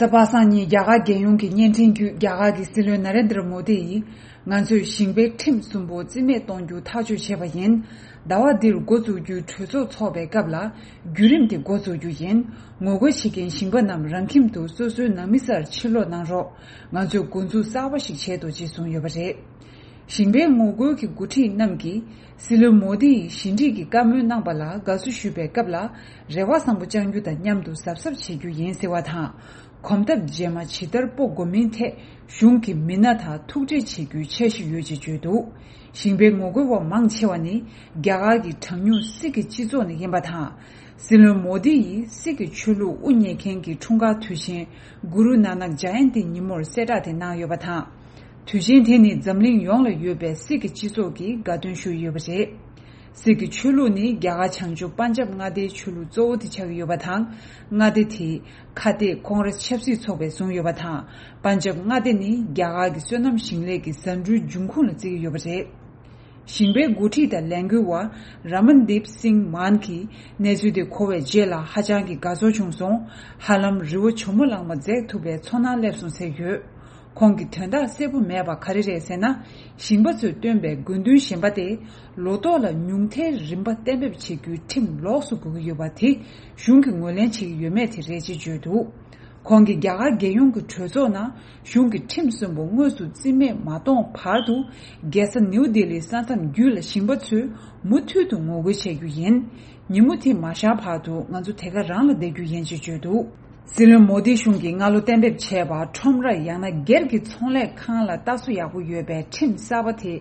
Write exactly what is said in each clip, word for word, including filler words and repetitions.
གཟའ་པ་སངས་ཉིན་རྒྱ་གར་རྒྱལ་ཡོངས་ཀྱི་བརྙན་འཕྲིན་བརྒྱུད། རྒྱ་གར་གྱི་སྲིད་བློན་ན་རེན་དྲ་མོ་དི་ཡིས། ང་ཚོས་ཞིང་པའི་ཁྲིམས་གསུམ་པོ་རྩིས་མེད་གཏོང་རྒྱུ་ཐག་གཅོད་བྱས་པ་ཡིན། ཟླ་བ་འདིར་འགོ་འཛུགས་རྒྱུའི་གྲོས་ཚོགས་འཚོགས་པའི་སྐབས་ལ། བརྒྱུད་རིམ་དེ་འགོ་འཛུགས་རྒྱུ་ཡིན། ངོ་རྒོལ་བྱེད་མཁན་ཞིང་པ་རྣམས་རང་ཁྱིམ་དུ་སོ་སོའི་ནང་མི་སར་ཕྱིར་ལོག་གནང་རོགས། ང་ཚོས་འགོ་འཛུགས་གསར་པ་ཞིག་བྱས་འདུག་ཅེས་གསུངས་ཡོད་པ་རེད། ཞིང་པའི་ངོ་རྒོལ་གྱི་འགོ་ཁྲིད་རྣམས་ཀྱིས། སྲིད་བློན་མོ་དི་ཡིས་ཞི་འགྲིག་གི་བཀའ་མོལ་གནང་པ་ལ་དགའ་བསུ་ཞུ་བའི་སྐབས་ལ། རེ་བ་བཟང་པོ་བཅང་རྒྱུ་དང་མཉམ་དུ་གཟབ་གཟབ་བྱེད་རྒྱུ་ཡིན་ཟེར་བ་དང་། གོམ་སྟབས་རྗེས་མ་ཇི་ལྟར་སྤོ་དགོས་མིན་ཐད། གཞུང་གི་མི་སྣ་དང་ཐུག་འཕྲད་བྱེད་རྒྱུའི་འཆར་གཞི་ཡོད་ཅེས་བརྗོད་འདུག་ཞིང་པའི་ངོ་རྒོལ་བ་མང་ཆེ་བ་ནི། རྒྱ་གར་གྱི་གྲངས་ཉུང་སིག་གི་སྤྱི་ཚོགས་ནས་ཡིན་པ་དང་། སྲིད་བློན་མོ་དི་ཡིས་སིག་གི་ཆོས་ལུགས་དབུ་བརྙེས་མཁན་གྱི་འཁྲུངས་སྐར་དུས་ཆེན། གུ་རུ་ནཱ་ནག་ཇ་ཡན་ཏི་ཉིན་མོར་གསལ་བསྒྲགས་དེ་གནང་ཡོད་པ་དང་། དུས་ཆེན་དེ་ནི་འཛམ་གླིང་ཡོངས་ལ་ཡོད་པའི་སིག་གི་སྤྱི་ཚོགས་ཀྱིས་དགའ་སྟོན་ཞུས་ཡོད་པ་རེད། སིག་གི་ཆོས་ལུགས་ནི་རྒྱ་གར་བྱང་ཕྱོགས་པན་ཇབ་མངའ་སྡེའི་ཆོས་ལུགས་གཙོ་བོ་དེ་ཆགས་ཀྱི་ཡོད་པ་དང་། མངའ་སྡེ་དེའི་ཁ་གཏད་ཁོང་ར་ཆབ་སྲིད་ཚོགས་པས་བཟུང་ཡོད་པ་དང་། པན་ཇབ་མངའ་སྡེ་ནི་རྒྱ་གར་གྱི་སོ་ནམ་ཞིང་ལས་ཀྱི་ཟ་འབྲུའི་འབྱུང་ཁུངས་ལ་བརྩི་གི་ཡོད་པ་རེད། ཞིང་པའི་འགོ་ཁྲིད་དང་ལས་འགུལ་བ་ར་མན་དིབ་སིང་མཱན་གྱིས་གནས་ཚུལ་དེ་གོ་བའི་རྗེས་ལ་ཧ་ཅང་གི་དགའ་ཚོར་བྱུང་སོང་། ཧ་ལམ་རི་བོ་ཇོ་མོ་གླང་མ་འཛེགས་ཐུབ་པའི་ཚོར་སྣང་སླེབས་སོང་ཟེར་ཡོད། ཁོང་གི་དོན་དག་གསལ་པོ་མེད་པ་ག་རེ་རེད་ཟེར་ན། ཞིང་པ་ཚོས་བཏོན་པའི་དགོས་འདུན་གཞན་པ་སྟེ། ལོ་ཏོག་ལ་ཉུང་མཐའི་རིན་པ་གཏན་འབེབས་བྱེད་རྒྱུའི་ཁྲིམས་ལོགས་སུ་དགོས་ཀྱི་ཡོད་པ་དེ་གཞུང་གིས་ངོས་ལེན་བྱེད་ཀྱི་ཡོད་མེད་དེ་རེད་ཅེས་བརྗོད་འདུག་ཁོང་གིས་རྒྱ་གར་རྒྱལ་ཡོངས་ཀྱི་གྲོས་ཚོགས་ནང་གཞུང་གི་ཁྲིམས་གསུམ་པོ་དངོས་སུ་རྩིས་མེད་མ་གཏོང་བར་དུ། རྒྱལ་ས་ནིའུ་ལྡི་ལིའི་ས་མཚམས་བརྒྱུད་ལ་ཞིང་པ་ཚོས་མུ་མཐུད་དུ་ངོ་རྒོལ་བྱེད་རྒྱུ་ཡིན། ཉིན་མོ་དེ་མ་ཤར་བར་དུ་ང་ཚོ་དེ་ག་རང་ལ་བསྡད་རྒྱུ་ཡིན་ཅེས་བརྗོད་འདུག་སྲིད་བློན་མོ་དི་གཞུང་གིས་སྔ་ལོ་གཏན་འབེབས་བྱས་པ། ཁྲོམ་ར་ཡང་ན་སྒེར་གྱི་ཚོང་ལས་ཁང་ལ་ལྟ་སྲུང་ཡག་པོ་ཡོད་པའི་ཁྲིམས་གསར་པ་དེ་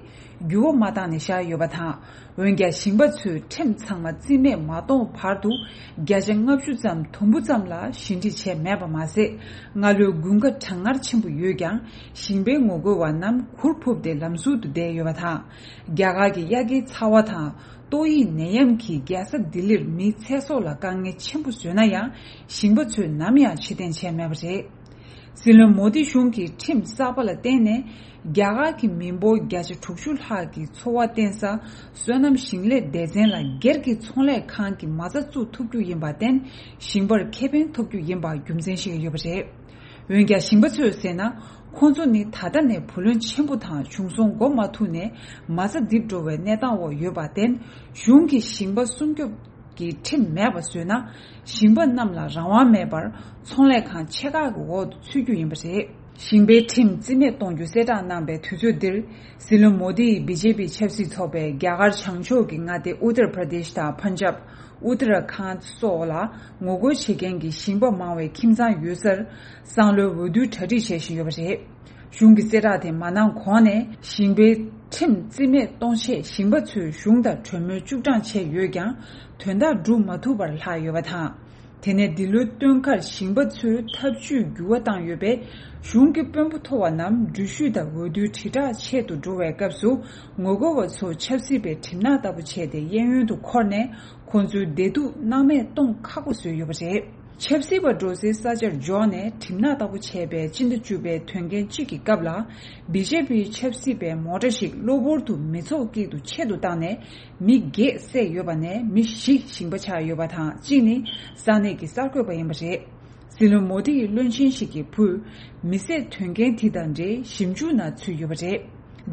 འགྱུར་བ་མ་བཏང་ནས་བཞག་ཡོད་པ་དང་། འོན་ཀྱང་ཞིང་པ་ཚོས་ཁྲིམས་ཚང་མ་རྩིས་མེད་མ་གཏོང་བར་དུ། བརྒྱ་ཆ་ལྔ་བཅུ་ཙམ་དུམ་བུ་ཙམ་ལ་ཞི་འགྲིག་བྱས་མེད་པ་མ་ཟད། སྔ་ལོའི་དགུན་ཁ་གྲང་ངར་ཆེན་པོ་ཡོད་ཀྱང་། ཞིང་པའི་ངོ་རྒོལ་བ་རྣམས་གུར་ཕུབ་སྟེ་ལམ་ཟུར་དུ་བསྡད་ཡོད་པ་དང་། རྒྱ་གར་གྱི་དབྱར་ཁའི་ཚ་བ་དང་། ཏོག་དབྱིབས་ནད་ཡམས་ཀྱིས་རྒྱལ་ས་ལྡི་ལིར་མིའི་ཚེ་སྲོག་ལ་དཀའ་ངལ་ཆེན་པོ་བཟོས་ན་ཡང་། ཞིང་པ་ཚོས་ནམ་ཡང་ཕྱིར་འཐེན་བྱས་མེད་པ་རེད། སྲིད་བློན་མོ་དི་གཞུང་གིས་ཁྲིམས་གསར་པ་ལ་བརྟེན་ནས། རྒྱ་གར་གྱི་མི་འབོར་བརྒྱ་ཆ་དྲུག་ཅུ་ལྷག་གི་འཚོ་བ་བརྟེན་ས། སོ་ནམ་ཞིང་ལས་སྡེ་ཚན་ལ་སྒེར་གྱི་ཚོང་ལས་ཁང་གི་མ་རྩ་བཙུགས་ཐུབ་རྒྱུ་ཡིན་པར་བརྟེན། ཞིང་པར་ཁེ་ཕན་ཐོབ་རྒྱུ་ཡིན་པ་རྒྱུ་མཚན་བཤད་ཀྱི་ཡོད་པ་རེད། འོན་ཀྱང་ཞིང་པ་ཚོས་ཟེར་ན། ཁོང་ཚོ་ནི་ད་ལྟ་ནས་བུ་ལོན་ཆེན་པོ་དང་བྱུང་སོང་འགོ་མ་ཐུག་ནས་མ་རྩ་རྡིབ་འགྲོ་བའི་གནས་སྟངས་འོག་ཡོད་པར་བརྟེན། གཞུང་གིས་ཞིང་པ་སྲུང་སྐྱོབ་ཀྱི་ཁྲིམས་མེད་པ་བཟོས་ན། ཞིང་པ་རྣམས་ལ་རང་དབང་མེད་པར་ཚོང་ལས་ཁང་ཆེ་ཁག་གི་འོག་ཏུ་ཚུད་རྒྱུ་ཡིན་པ་རེད། ཞིང་པའི་ཁྲིམས་རྩིས་མེད་གཏོང་རྒྱུ་གསལ་བསྒྲགས་གནང་པའི་དུས་ཚོད་འདིར། སྲིད་བློན་མོ་དི་ཡིས་བི་ཇེ་པི་ཆབ་སྲིད་ཚོགས་པས་རྒྱ་གར་བྱང་ཕྱོགས་ཀྱི་མངའ་སྡེ་ཨུ་ཏར་པྲ་དེཤ་དང་པན་ཇབ། ཨུ་ཏར་ཁཱན་སོགས་ལ་ངོ་རྒོལ་བྱེད་མཁན་གྱི་ཞིང་པ་མང་བའི་ཁྱིམ་ཚང་ཡོད་སར། སང་ལོའི་འོས་བསྡུའི་གྲ་སྒྲིག་བྱེད་བཞིན་ཡོད་པ་རེད། གཞུང་གི་གསལ་བསྒྲགས་དེ་མ་གནང་གོང་ནས། ཞིང་པའི་ཁྲིམས་རྩིས་མེད་གཏོང་ཆེད་ཞིང་པ་ཚོས་གཞུང་དང་གྲོས་མོལ་བཅུ་གྲངས་བྱས་ཡོད་ཀྱང་། དོན་དག་འགྲུབ་མ་ཐུབ་པར་ལྷག་ཡོད་པ་དང་། དེ་ནས་འདི་ལོའི་སྟོན་ཁར་ཞིང་པ་ཚོའི་ཐབས་ཇུས་འགྱུར་བ་བཏང་ཡོད་པས། གཞུང་གི་དཔོན་པོ་མཐོ་བ་རྣམས་འགྲུལ་བཞུད་དང་འོས་བསྡུའི་དྲིལ་བསྒྲགས་ཆེད་དུ་འགྲོ་བའི་སྐབས་སུ། ངོ་རྒོལ་བ་ཚོ་ཆབ་སྲིད་པའི་གྲིབ་ནག་ལྟ་བུ་བྱས་ཏེ། གཡས་གཡོན་དུ་འཁོར་ནས་ཁོང་ཚོའི་བདེ་སྡུག་སྣང་མེད་གཏོང་ཁག་པོ་བཟོས་ཡོད་པ་རེད། ཆབ་སྲིད་པ་འགྲོ་སའི་ས་ཆར་འབྱོར་ནས་གྲིབ་ནག་ལྟ་བུ་བྱས་པའི་སྤྱི་ཟླ་བཅུ་པའི་དོན་རྐྱེན་གཅིག་གི་སྐབས་ལ། བི་ཇེ་པི་ཆབ་སྲིད་པའི་མོ་ཊ་ཞིག་གློ་བུར་དུ་མི་ཚོགས་དཀྱིལ་དུ་ཆེད་དུ་བཏང་ནས། མི་བརྒྱད་བསད་ཡོད་པ་ནས་མི་བཞི་ཞིང་པ་ཆགས་ཡོད་པ་དང་། གཅིག་ནི་ས་གནས་ཀྱི་གསར་འགོད་པ་ཡིན་པ་རེད། སྲིད་བློན་མོ་དི་ཡི་བློན་ཆེན་ཞིག་གི་བུས། མི་བསད་དོན་རྐྱེན་དེ་དང་འབྲེལ་ཞིབ་འཇུག་ནང་ཚུད་ཡོད་པ་རེད།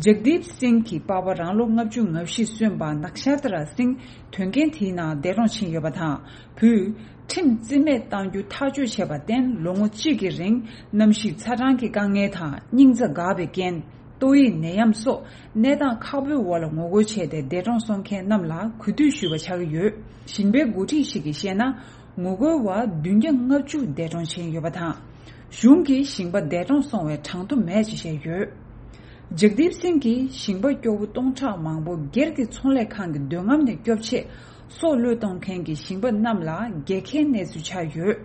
ཇག་དིབ་སིང་གི་པ་ཕ་རང་ལོ་ལྔ་བཅུ་ང་བཞི་སོན་པ་ནག་ཤར་ཏ་ར་སིང་དོན་རྐྱེན་དེའི་ནང་འདས་གྲོངས་ཕྱིན་ཡོད་པ་དང་། བུས་ཁྲིམས་རྩིས་མེད་གཏང་རྒྱུ་ཐག་གཅོད་བྱས་པར་བརྟེན། ལོ་ངོ་གཅིག་གི་རིང་གནམ་གཤིས་ཚ་གྲང་གི་དཀའ་ངལ་དང་། སྙིང་རྩ་འགག་པའི་རྐྱེན། ཏོག་དབྱིབས་ནད་ཡམས་སོགས་གནས་སྟངས་ཁག་པོའི་འོག་ལ་ངོ་རྒོལ་བྱས་ཏེ། འདས་གྲོངས་སོང་མཁན་རྣམས་ལ་གུས་འདུད་ཞུ་བ་ཆགས་ཀྱི་ཡོད། ཞིང་པའི་འགོ་ཁྲིད་ཞིག་གིས་བཤད་ན། ངོ་རྒོལ་བ་བདུན་བརྒྱ་ལྔ་བཅུ་འདས་གྲོངས་ཕྱིན་ཡོད་པ་དང་། གཞུང་གིས་ཞིང་པ་འདས་གྲོངས་སོང་བའི་གྲངས་ཐོ་མེད་ཅེས་བཤད་ཡོད། ཇག་དིབ་སིང་གིས་ཞིང་པ་སྐྱོ་བོ་སྟོང་ཕྲག་མང་པོ་སྒེར་གྱི་ཚོང་ལས་ཁང་གི་འདོད་རྔམ་ནས་སྐྱོབ་ཆེད། སྲོག་བློས་གཏོང་མཁན་གྱི་ཞིང་པ་རྣམས་ལ་རྒྱལ་ཁའི་གནས་ཚུལ་ཆགས་ཡོད།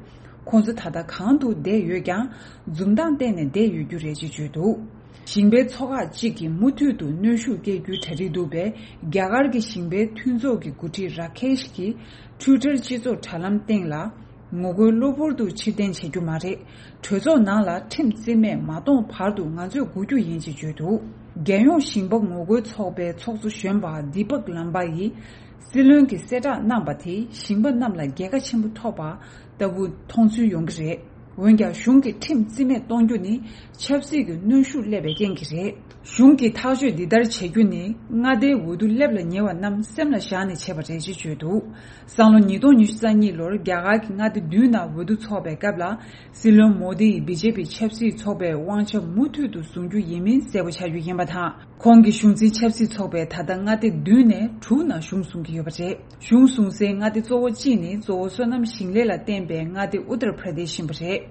ཁོང་ཚོ་ད་ལྟ་གང་དུ་བསྡད་ཡོད་ཀྱང་། འཛུམ་མདངས་བསྟན་ནས་བསྡད་ཡོད་རྒྱུ་རེད་ཅེས་བརྗོད་འདུག་ཞིང་པའི་ཚོགས་ཁག་ཅིག་གིས་མུ་མཐུད་དུ་གནོན་ཤུགས་སྐྱེལ་རྒྱུའི་གྲ་སྒྲིག་འདུག་པས། རྒྱ་གར་གྱི་ཞིང་པའི་མཐུན་ཚོགས་ཀྱི་འགོ་ཁྲིད་ར་ཁེཤ་གྱིས་ཊུའི་ཊར་སྤྱི་ཚོགས་དྲ་ལམ་སྟེང་ལ། ངོ་རྒོལ་གློ་བུར་དུ་ཕྱིར་འཐེན་བྱེད་རྒྱུ་མ་རེད། གྲོས་ཚོགས་ནང་ལ་ཁྲིམས་རྩིས་མེད་མ་གཏོང་བར་དུ་ང་ཚོས་སྒུག་རྒྱུ་ཡིན་ཅེས་བརྗོད་འདུག་རྒྱལ་ཡོངས་ཞིང་པ་ངོ་རྒོལ་ཚོགས་པའི་ཚོགས་གཙོ་གཞོན་པ་དི་པག་ལམ་པ་ཡིས། སྲིད་བློན་གྱིས་གསལ་བསྒྲགས་གནང་པ་དེས་ཞིང་པ་རྣམས་ལ་རྒྱལ་ཁ་ཆེན་པོ་ཐོབ་པ་ལྟ་བུ་མཐོང་ཚུལ་ཡོང་གི་རེད། འོན་ཀྱང་གཞུང་གི་ཁྲིམས་རྩིས་མེད་གཏོང་རྒྱུ་ནི་ཆབ་སྲིད་ཀྱི་གནོན་ཤུགས་སླེབས་པའི་རྐྱེན་གྱིས་རེད། གཞུང་གིས་ཐག་གཅོད་འདི་ལྟར་བྱེད་རྒྱུ་ནི་མངའ་སྡེའི་འོས་བསྡུ་སླེབས་ལ་ཉེ་བ་རྣམས་སེམས་ལ་བཞག་ནས་བྱས་པ་རེད་ཅེས་བརྗོད་འདུག་སང་ལོ་ཉིས་སྟོང་ཉི་ཤུ་རྩ་གཉིས་ལོར་རྒྱ་གར་གྱི་མངའ་སྡེ་བདུན་ནང་འོས་བསྡུ་འཚོགས་པའི་སྐབས་ལ། སྲིད་བློན་མོ་དི་ཡིས་བི་ཇེ་པི་ཆབ་སྲིད་ཚོགས་པའི་དབང་ཆ་མུ་མཐུད་དུ་བཟུང་རྒྱུ་ཡིན་མིན་གསལ་པོ་ཆགས་རྒྱུ་ཡིན་པ་དང་། ཁོང་གི་གཞུང་འཛིན་ཆབ་སྲིད་ཚོགས་པས་ད་ལྟ་མངའ་སྡེ་བདུན་ནས་དྲུག་ནང་གཞུང་བཟུང་གི་ཡོད་པ་རེད། གཞུང་བཟུང་སའི་མངའ་སྡེ་གཙོ་བོ་གཅིག་ནི་གཙོ་བོ་སོ་ནམ་ཞིང་ལས་ལ་བརྟེན་པའི་མངའ་སྡེ་ཨུ་ཏར་པྲ་དེཤ་ཡིན་པ་རེད།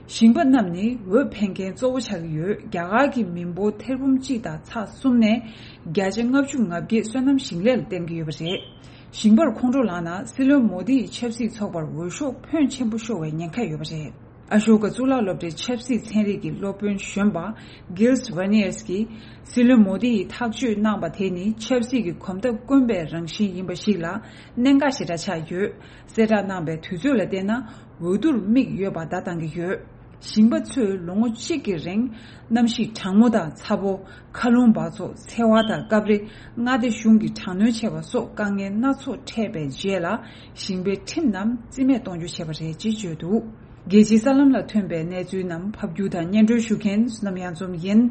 ཞིང་པ་རྣམས་ནི་འོས་འཕེན་མཁན་གཙོ་བོ་ཆགས་ཀྱི་ཡོད། རྒྱ་གར་གྱི་མི་འབོར་ཐེར་འབུམ་གཅིག་དང་ཚེག་གསུམ་ནས་བརྒྱ་ཆ་ལྔ་བཅུ་ང་བརྒྱད་སོ་ནམ་ཞིང་ལས་ལ་བརྟེན་གྱི་ཡོད་པ་རེད། ཞིང་པར་ཁོང་ཁྲོ་ལངས་ན་སྲིད་བློན་མོ་དི་ཡི་ཆབ་སྲིད་ཚོགས་པར་འོས་ཤོག་ཕོན་ཆེན་པོ་ཤོར་བའི་ཉེན་ཁ་ཡོད་པ་རེད། ཨ་ཤོ་ཀ་གཙུག་ལག་སློབ་གྲྭའི་ཆབ་སྲིད་ཚན་རིག་གི་སློབ་དཔོན་གཞོན་པ་Gilles Verniers གྱིས། སྲིད་བློན་མོ་དི་ཡིས་ཐག་གཅོད་གནང་པ་དེ་ནི་ཆབ་སྲིད་ཀྱི་གོམ་སྟབས་དཀོན་པའི་རང་བཞིན་ཡིན་པ་ཞིག་ལ་གནད་འགག་ཞེ་དྲག་ཆགས་ཡོད། གསལ་བསྒྲགས་གནང་པའི་དུས་ཚོད་ལ་བལྟས་ན་འོས་བསྡུར་དམིགས་ཡོད་པ་བརྡ་བཏང་གི་ཡོད། ཞིང་པ་ཚོས་ལོ་ངོ་གཅིག་གི་རིང་གནམ་གཤིས་གྲང་མོ་དང་ཚ་པོ། མཁའ་རླུང་འབག་བཙོག་འཚེ་བ་དང་སྐབས་རེ་མངའ་སྡེ་གཞུང་གི་དྲག་གནོན་བྱས་པ་སོགས་དཀའ་ངལ་སྣ་ཚོགས་འཕྲད་པའི་རྗེས་ལ་ཞིང་པའི་ཁྲིམས་རྣམས་རྩིས་མེད་གཏོང་རྒྱུ་བྱས་པ་རེད་ཅེས་བརྗོད་འདུག་རྒྱལ་སྤྱིའི་གསར་ལམ་ལ་ཐོན་པའི་གནས་ཚུལ་རྣམས་ཕབ་སྒྱུར་དང་སྙན་སྒྲོན་ཞུ་མཁན་བསོད་ནམས་གཡང་འཛོམས་ཡིན།